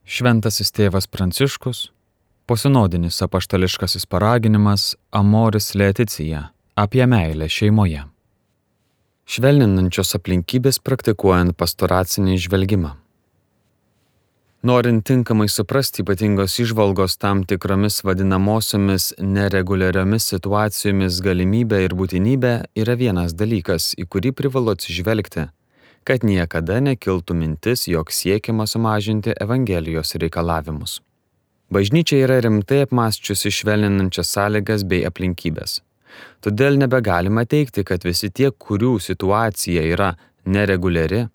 Šventasis tėvas Pranciškus, posinodinis apaštališkasis paraginimas Amoris Laetitia apie meilę šeimoje. Švelninančios aplinkybės praktikuojant pastoracinį žvelgimą. Norint tinkamai suprasti ypatingos įžvalgos tam tikromis vadinamosiomis nereguliariomis situacijomis galimybė ir būtinybė yra vienas dalykas, į kurį privalu atsižvelgti, kad niekada nekiltų mintis, jog siekiama sumažinti Evangelijos reikalavimus. Bažnyčia yra rimtai apmąsčiusi švelninančias sąlygas bei aplinkybės. Todėl nebegalima teigti, kad visi tie, kurių situacija yra nereguliari,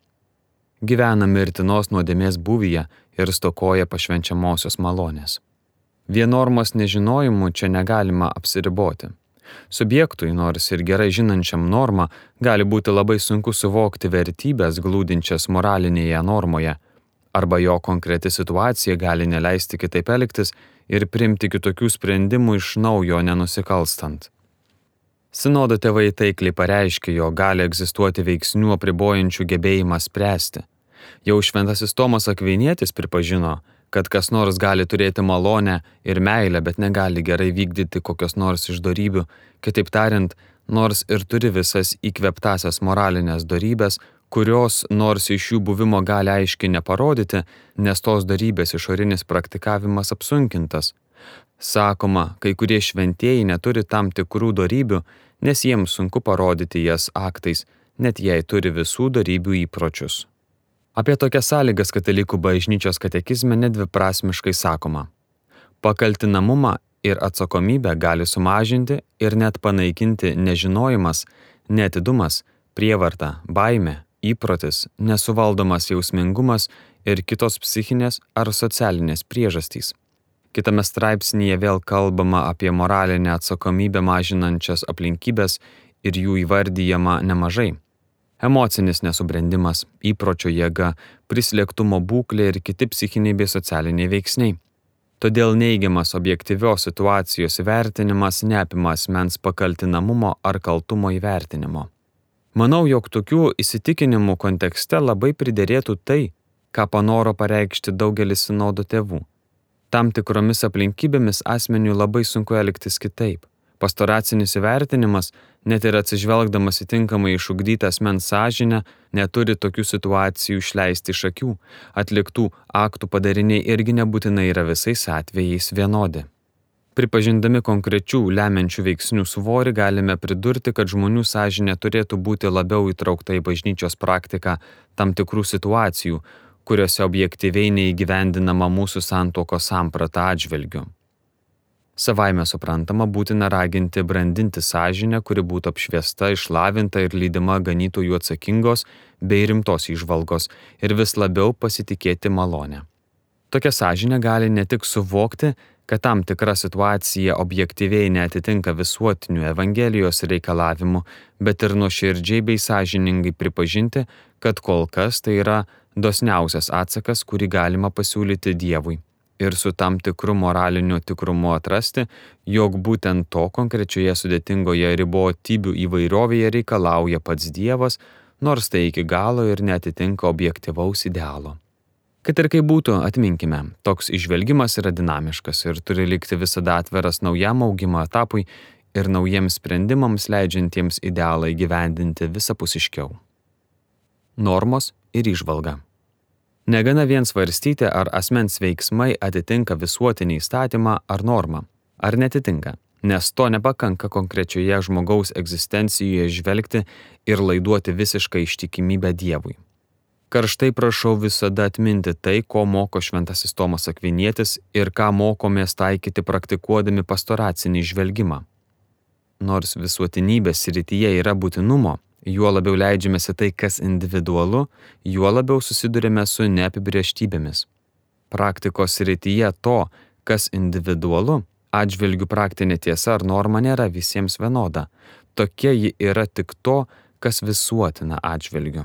gyvena mirtinos nuodėmės būvyje ir stokoja pašvenčiamosios malonės. Vien normos nežinojimu čia negalima apsiriboti. Subjektui, nors ir gerai žinančiam normą, gali būti labai sunku suvokti vertybės glūdinčias moralinėje normoje, arba jo konkreti situacija gali neleisti kitaip elgtis ir priimti kitokių sprendimų iš naujo nenusikalstant. Sinodo tėvai taikliai pareiškė, jog gali egzistuoti veiksnių apribojančių gebėjimą spręsti. Jau šventasis Tomas Akvinietis pripažino, kad kas nors gali turėti malonę ir meilę, bet negali gerai vykdyti kokios nors iš dorybių, kitaip tariant, nors ir turi visas įkvėptasias moralinės dorybės, kurios nors iš jų buvimo gali aiškiai neparodyti, nes tos dorybės išorinis praktikavimas apsunkintas. Sakoma, kai kurie šventieji neturi tam tikrų dorybių, nes jiems sunku parodyti jas aktais, net jei turi visų dorybių įpročius. Apie tokias sąlygas katalikų bažnyčios katekizme nedviprasmiškai sakoma. Pakaltinamumą ir atsakomybę gali sumažinti ir net panaikinti nežinojimas, neatidumas, prievarta, baimė, įprotis, nesuvaldomas jausmingumas ir kitos psichinės ar socialinės priežastys. Kitame straipsnyje vėl kalbama apie moralinę atsakomybę mažinančias aplinkybės ir jų įvardyjama nemažai. Emocinis nesubrendimas, įpročio jėga, prislėgtumo būklė ir kiti psichiniai bei socialiniai veiksniai. Todėl neigiamas objektyvios situacijos įvertinimas neapima asmens pakaltinamumo ar kaltumo įvertinimo. Manau, jog tokių įsitikinimų kontekste labai priderėtų tai, ką panoro pareikšti daugelis sinodo tėvų. Tam tikromis aplinkybėmis asmeniui labai sunku elgtis kitaip. Pastoracinis įvertinimas, net ir atsižvelgdamas į tinkamai išugdytą asmens sąžinę, neturi tokių situacijų išleisti iš akių. Atliktų aktų padariniai irgi nebūtinai yra visais atvejais vienodi. Pripažindami konkrečių lemiančių veiksnių svorį, galime pridurti, kad žmonių sąžinė turėtų būti labiau įtraukta į bažnyčios praktiką tam tikrų situacijų, kuriuose objektyviai neįgyvendinama mūsų santuokos samprata atžvilgiu. Savaime suprantama, būtina raginti brandinti sąžinę, kuri būtų apšviesta, išlavinta ir lydima ganytojų atsakingos bei rimtos įžvalgos ir vis labiau pasitikėti malonę. Tokia sąžinė gali ne tik suvokti, kad tam tikra situacija objektyviai neatitinka visuotinių Evangelijos reikalavimų, bet ir nuoširdžiai bei sąžiningai pripažinti, kad kol kas tai yra dosniausias atsakas, kurį galima pasiūlyti Dievui. Ir su tam tikru moraliniu tikrumu atrasti, jog būtent to konkrečioje sudėtingoje ribotybių įvairovėje reikalauja pats Dievas, nors tai iki galo ir neatitinka objektyvaus idealo. Kad ir kaip būtų, atminkime, toks išvelgimas yra dinamiškas ir turi likti visada atveras naujam augimo etapui ir naujiems sprendimams leidžiantiems idealą įgyvendinti visapusiškiau. Normos ir įžvalga. Negana vien svarstyti, ar asmens veiksmai atitinka visuotinį įstatymą ar normą, ar netitinka, nes to nepakanka konkrečioje žmogaus egzistencijoje žvelgti ir laiduoti visišką ištikimybę Dievui. Karštai prašau visada atminti tai, ko moko šventasis Tomas Akvinietis ir ką mokomės taikyti praktikuodami pastoracinį žvelgimą. Nors visuotinybės srityje yra būtinumo, juo labiau leidžiamės į tai, kas individualu, juo labiau susidurime su neapibrėžtybėmis. Praktikos srityje to, kas individualu, atžvilgių praktinė tiesa ar norma nėra visiems vienoda. Tokia ji yra tik to, kas visuotina atžvilgiu.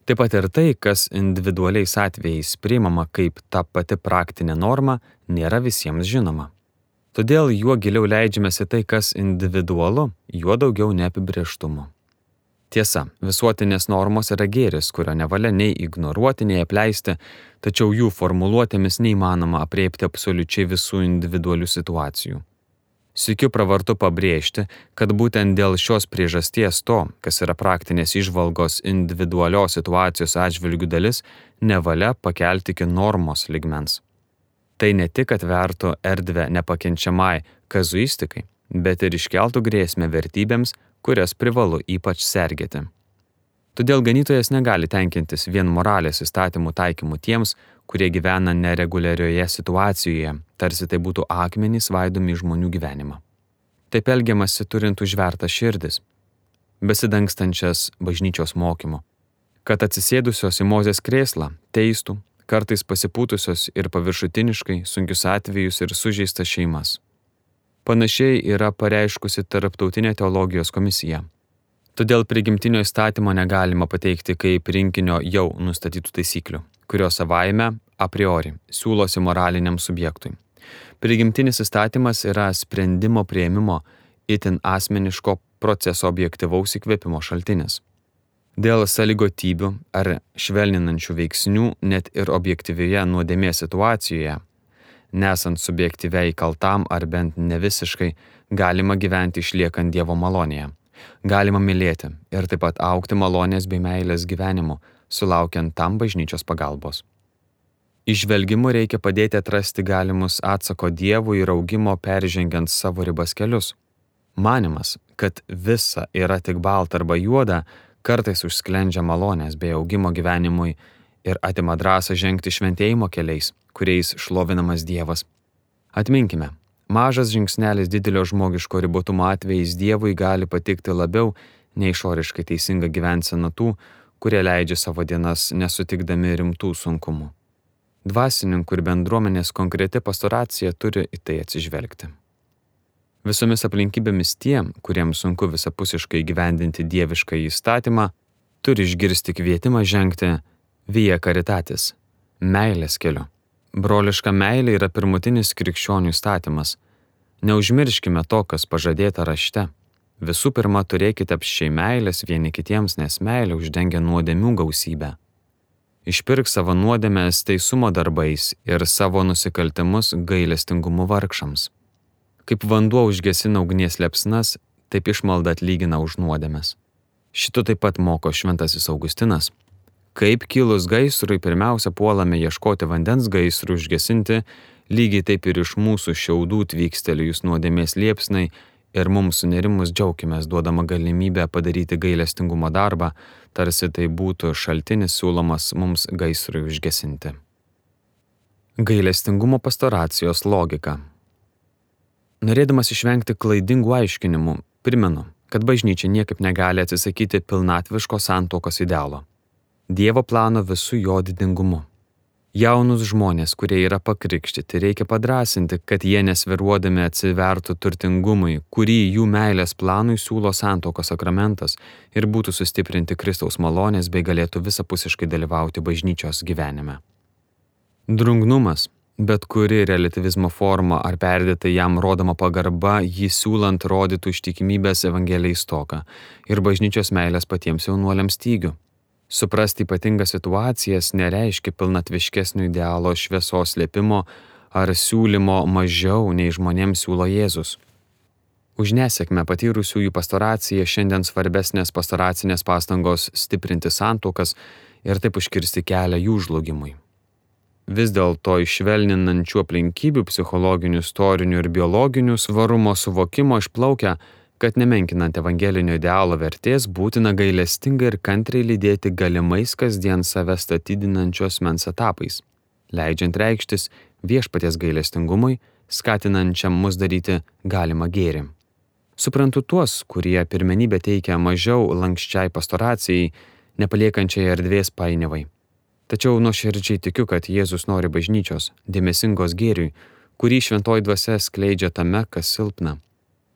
Taip pat ir tai, kas individualiais atvejais priimama kaip ta pati praktinė norma, nėra visiems žinoma. Todėl juo giliau leidžiamės į tai, kas individualu, juo daugiau neapibrėžtumo. Tiesa, visuotinės normos yra gėris, kurio nevalia nei ignoruoti, nei apleisti, tačiau jų formuluotėmis neįmanoma apriepti absoliučiai visų individualių situacijų. Sykiu pravartu pabrėžti, kad būtent dėl šios priežasties to, kas yra praktinės įžvalgos individualios situacijos atžvilgių dalis, nevalia pakelti iki normos lygmens. Tai ne tik atvertų erdvę nepakenčiamai kazuistikai, bet ir iškeltų grėsmę vertybėms, kurias privalu ypač sergėti. Todėl ganytojas negali tenkintis vien moralės įstatymų taikymu tiems, kurie gyvena nereguliarioje situacijoje, tarsi tai būtų akmenys svaidomi į žmonių gyvenimą. Taip elgiamasi turint užvertas širdis, besidangstančias bažnyčios mokymu, kad atsisėdusios į Mozės krėslą teistų, kartais pasipūtusios ir paviršutiniškai sunkius atvejus ir sužeistas šeimas. Panašiai yra pareiškusi Tarptautinė teologijos komisija. Todėl prigimtinio įstatymo negalima pateikti kaip rinkinio jau nustatytų taisyklių, kurios savaime a priori siūlosi moraliniam subjektui. Prigimtinis įstatymas yra sprendimo priėmimo itin asmeniško proceso objektyvaus įkvėpimo šaltinis. Dėl sąlygotybių ar švelninančių veiksnių net ir objektyvioje nuodėmės situacijoje, nesant subjektyviai kaltam ar bent nevisiškai, galima gyventi išliekant Dievo malonėje. Galima mylėti ir taip pat augti malonės bei meilės gyvenimu, sulaukiant tam bažnyčios pagalbos. Įžvelgimu reikia padėti atrasti galimus atsako Dievui ir augimo peržengiant savo ribas kelius. Manimas, kad visa yra tik balta arba juoda, kartais užsklendžia malonės bei augimo gyvenimui ir atima drąsą žengti šventėjimo keliais, kuriais šlovinamas Dievas. Atminkime, mažas žingsnelis didelio žmogiško ribotumo atvejais Dievui gali patikti labiau nei išoriškai teisinga gyvensena tų, kurie leidžia savo dienas nesutikdami rimtų sunkumų. Dvasininkų ir bendruomenės konkreti pastoracija turi į tai atsižvelgti. Visomis aplinkybėmis tie, kuriems sunku visapusiškai įgyvendinti dievišką įstatymą, turi išgirsti kvietimą žengti via caritatis, meilės keliu. Broliška meilė yra pirmutinis krikščionių įstatymas. Neužmirškime to, kas pažadėta rašte. Visų pirma, turėkite apsčiai meilės vieni kitiems, nes meilė uždengia nuodėmių gausybę. Išpirk savo nuodėmes teisumo darbais ir savo nusikaltimus gailestingumu vargšams. Kaip vanduo užgesina ugnies liepsnas, taip išmalda atlygina už nuodėmes. Šito taip pat moko šventasis Augustinas. Kaip kilus gaisrui pirmiausia puolame ieškoti vandens gaisrui užgesinti, lygiai taip ir iš mūsų šiaudų tvykstelėjus nuodėmės liepsnai ir mums sunerimus džiaukimės duodama galimybę padaryti gailestingumo darbą, tarsi tai būtų šaltinis siūlomas mums gaisrui užgesinti. Gailestingumo pastoracijos logika. Norėdamas išvengti klaidingų aiškinimų, primenu, kad bažnyčia niekaip negali atsisakyti pilnatviško santuokos idealo. Dievo plano visų jo didingumu. Jaunus žmonės, kurie yra pakrikštyti, reikia padrąsinti, kad jie nesviruodami atsivertų turtingumui, kurį jų meilės planui siūlo santuokos sakramentas ir būtų sustiprinti Kristaus malonės bei galėtų visapusiškai dalyvauti bažnyčios gyvenime. Drungnumas, bet kuri relativizmo forma ar perdėtai jam rodoma pagarba, jį siūlant rodytų ištikimybės Evangelijai stoką ir bažnyčios meilės patiems jaunuoliams stygių. Suprasti ypatingas situacijas nereiškia pilnatviškesnio idealo šviesos slėpimo ar siūlymo mažiau nei žmonėms siūlo Jėzus. Už nesėkmę patyrusiųjų pastoracija šiandien svarbesnės pastoracinės pastangos stiprinti santuokas ir taip užkirsti kelią jų žlugimui. Vis dėlto iš švelninančių aplinkybių psichologinių, istorinių ir biologinių svarumo suvokimo išplaukia, kad nemenkinant evangelinio idealo vertės būtina gailestingai ir kantriai lydėti galimais kasdien save statydinančios mens etapais, leidžiant reikštis viešpaties gailestingumui, skatinančiam mus daryti galimą gėrį. Suprantu tuos, kurie pirmenybę teikia mažiau lanksčiai pastoracijai, nepaliekančiai erdvės painiavai. Tačiau nuoširdžiai tikiu, kad Jėzus nori bažnyčios, dėmesingos gėriui, kurį šventoji dvasia skleidžia tame, kas silpna.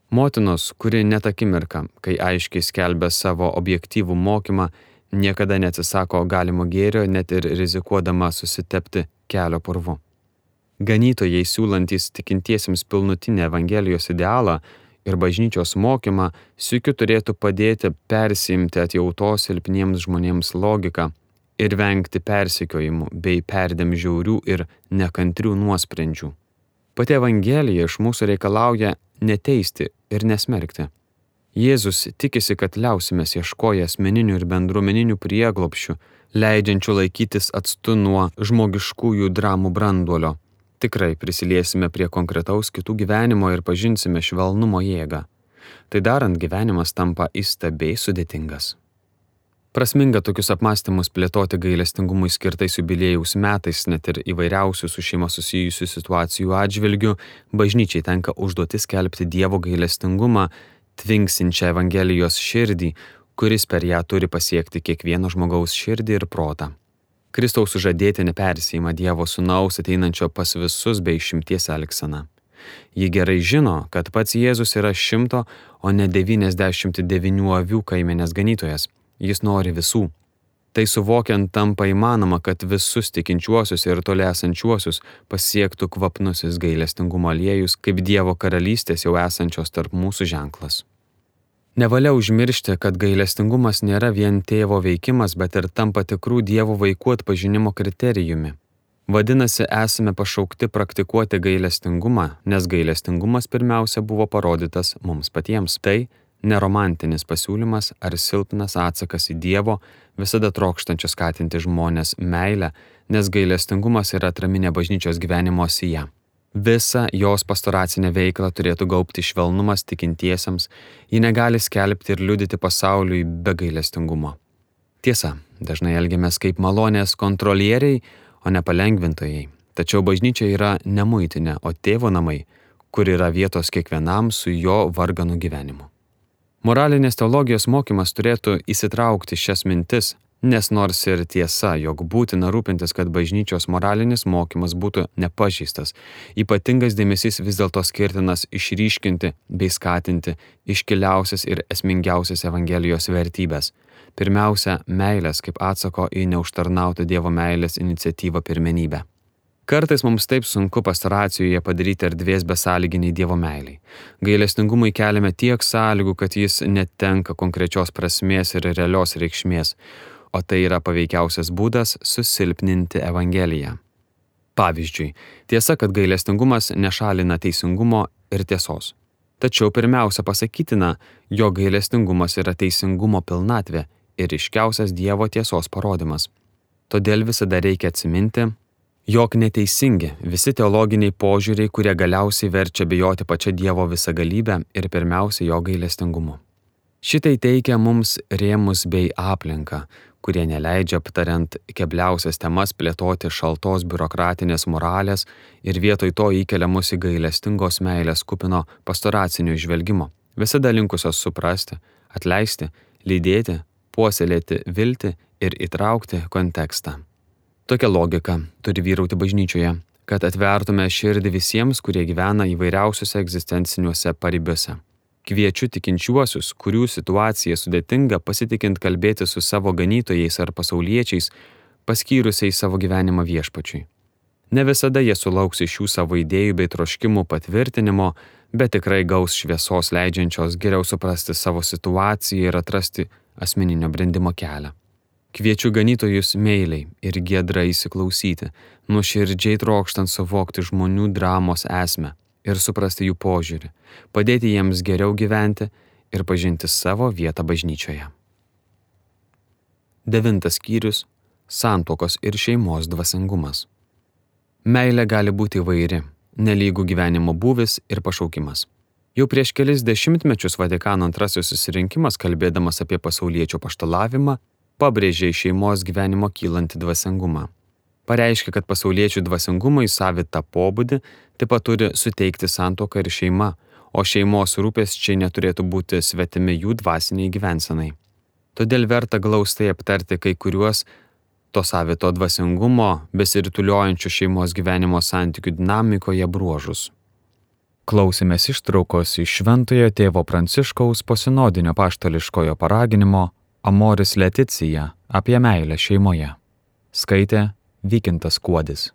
Motinos, kuri net akimirką, kai aiškiai skelbia savo objektyvų mokymą, niekada neatsisako galimo gėrio, net ir rizikuodama susitepti kelio purvu. Ganytojai siūlantys tikintiesiems pilnutinį Evangelijos idealą ir bažnyčios mokymą sykiu turėtų padėti persiimti atjautos silpniems žmonėms logiką ir vengti persekiojimų bei perdėm žiaurių ir nekantrių nuosprendžių. Pati Evangelija iš mūsų reikalauja neteisti ir nesmerkti. Jėzus tikisi, kad liausimės ieškoję asmeninių ir bendruomeninių prieglobsčių, leidžiančių laikytis atstu nuo žmogiškųjų dramų branduolio. Tikrai prisiliesime prie konkretaus kitų gyvenimo ir pažinsime švelnumo jėgą. Tai darant gyvenimas tampa įstabiai sudėtingas. Prasminga tokius apmąstymus plėtoti gailestingumui skirtais jubiliejaus metais, net ir įvairiausių su šeima susijusių situacijų atžvilgių, bažnyčiai tenka užduotis skelbti Dievo gailestingumą, tvinksinčią Evangelijos širdį, kuris per ją turi pasiekti kiekvieno žmogaus širdį ir protą. Kristaus sužadėtinė persiima Dievo sūnaus ateinančio pas visus bei išimties elgseną. Ji gerai žino, kad pats Jėzus yra 100, o ne 99 avių kaimenės ganytojas. Jis nori visų. Tai suvokiant tampa įmanoma, kad visus tikinčiuosius ir toli esančiuosius pasiektų kvapnusis gailestingumo aliejus, kaip Dievo karalystės jau esančios tarp mūsų ženklas. Nevalia užmiršti, kad gailestingumas nėra vien tėvo veikimas, bet ir tampa tikrų Dievo vaikų atpažinimo kriterijumi. Vadinasi, esame pašaukti praktikuoti gailestingumą, nes gailestingumas pirmiausia buvo parodytas mums patiems. Tai neromantinis pasiūlymas ar silpnas atsakas į Dievo, visada trokštančius skatinti žmonės meilę, nes gailestingumas yra atraminė bažnyčios gyvenimo sija. Visą jos pastoracinę veiklą turėtų gaubti švelnumas tikintiesiems, ji negali skelbti ir liudyti pasauliui be gailestingumo. Tiesa, dažnai elgiamės kaip malonės kontrolieriai, o ne palengvintojai. Tačiau bažnyčia yra ne muitinė, o tėvo namai, kur yra vietos kiekvienam su jo varganų gyvenimu. Moralinės teologijos mokymas turėtų įsitraukti šias mintis, nes nors ir tiesa, jog būtina rūpintis, kad bažnyčios moralinis mokymas būtų nepažeistas, ypatingas dėmesys vis dėlto skirtinas išryškinti bei skatinti iškiliausias ir esmingiausias Evangelijos vertybės. Pirmiausia, meilės kaip atsako į neužtarnautą Dievo meilės iniciatyvą pirmenybę. Kartais mums taip sunku pastoracijoje padaryti erdvės besąlyginiai Dievo meiliai. Gailestingumui keliame tiek sąlygų, kad jis netenka konkrečios prasmės ir realios reikšmės, o tai yra paveikiausias būdas susilpninti Evangeliją. Pavyzdžiui, tiesa, kad gailestingumas nešalina teisingumo ir tiesos. Tačiau pirmiausia pasakytina, jog gailestingumas yra teisingumo pilnatvė ir ryškiausias Dievo tiesos parodymas. Todėl visada reikia atsiminti, jog neteisingi visi teologiniai požiūriai, kurie galiausiai verčia bijoti pačią Dievo visagalybę ir pirmiausia jo gailestingumu. Šitai teikia mums rėmus bei aplinką, kurie neleidžia aptariant kebliausias temas plėtoti šaltos biurokratinės moralės ir vietoj to įkelia mus į gailestingos meilės kupino pastoracinio žvelgimo, visada linkusios suprasti, atleisti, lydėti, puoselėti viltį ir įtraukti kontekstą. Tokia logika turi vyrauti bažnyčioje, kad atvertume širdį visiems, kurie gyvena įvairiausiuose egzistenciniuose paribiuose. Kviečiu tikinčiuosius, kurių situacija sudėtinga, pasitikint kalbėti su savo ganytojais ar pasauliečiais, paskyrusiais savo gyvenimą viešpačiui. Ne visada jie sulauks iš jų savo idėjų bei troškimų patvirtinimo, bet tikrai gaus šviesos leidžiančios geriau suprasti savo situaciją ir atrasti asmeninio brendimo kelią. Kviečiu ganytojus meiliai ir giedrai įsiklausyti, nuoširdžiai trokštant suvokti žmonių dramos esmę ir suprasti jų požiūrį, padėti jiems geriau gyventi ir pažinti savo vietą bažnyčioje. 9 skyrius – santuokos ir šeimos dvasingumas. Meilė gali būti įvairi, nelygų gyvenimo būvis ir pašaukimas. Jau prieš kelis dešimtmečius Vatikano II susirinkimas, kalbėdamas apie pasauliečio apaštalavimą, pabrėžė iš šeimos gyvenimo kylantį dvasingumą. Pareiškė, kad pasauliečių dvasingumui savitą pobūdį taip pat turi suteikti santuoka ir šeima, o šeimos rūpesčiai neturėtų būti svetimi jų dvasiniai gyvensenai. Todėl verta glaustai aptarti kai kuriuos to savito dvasingumo besirutuliojančių šeimos gyvenimo santykių dinamikoje bruožus. Klausėmės ištraukos iš Šventojo tėvo Pranciškaus posinodinio apaštališkojo paraginimo Amoris Laetitia apie meilę šeimoje. Skaitė Vykintas Kuodis.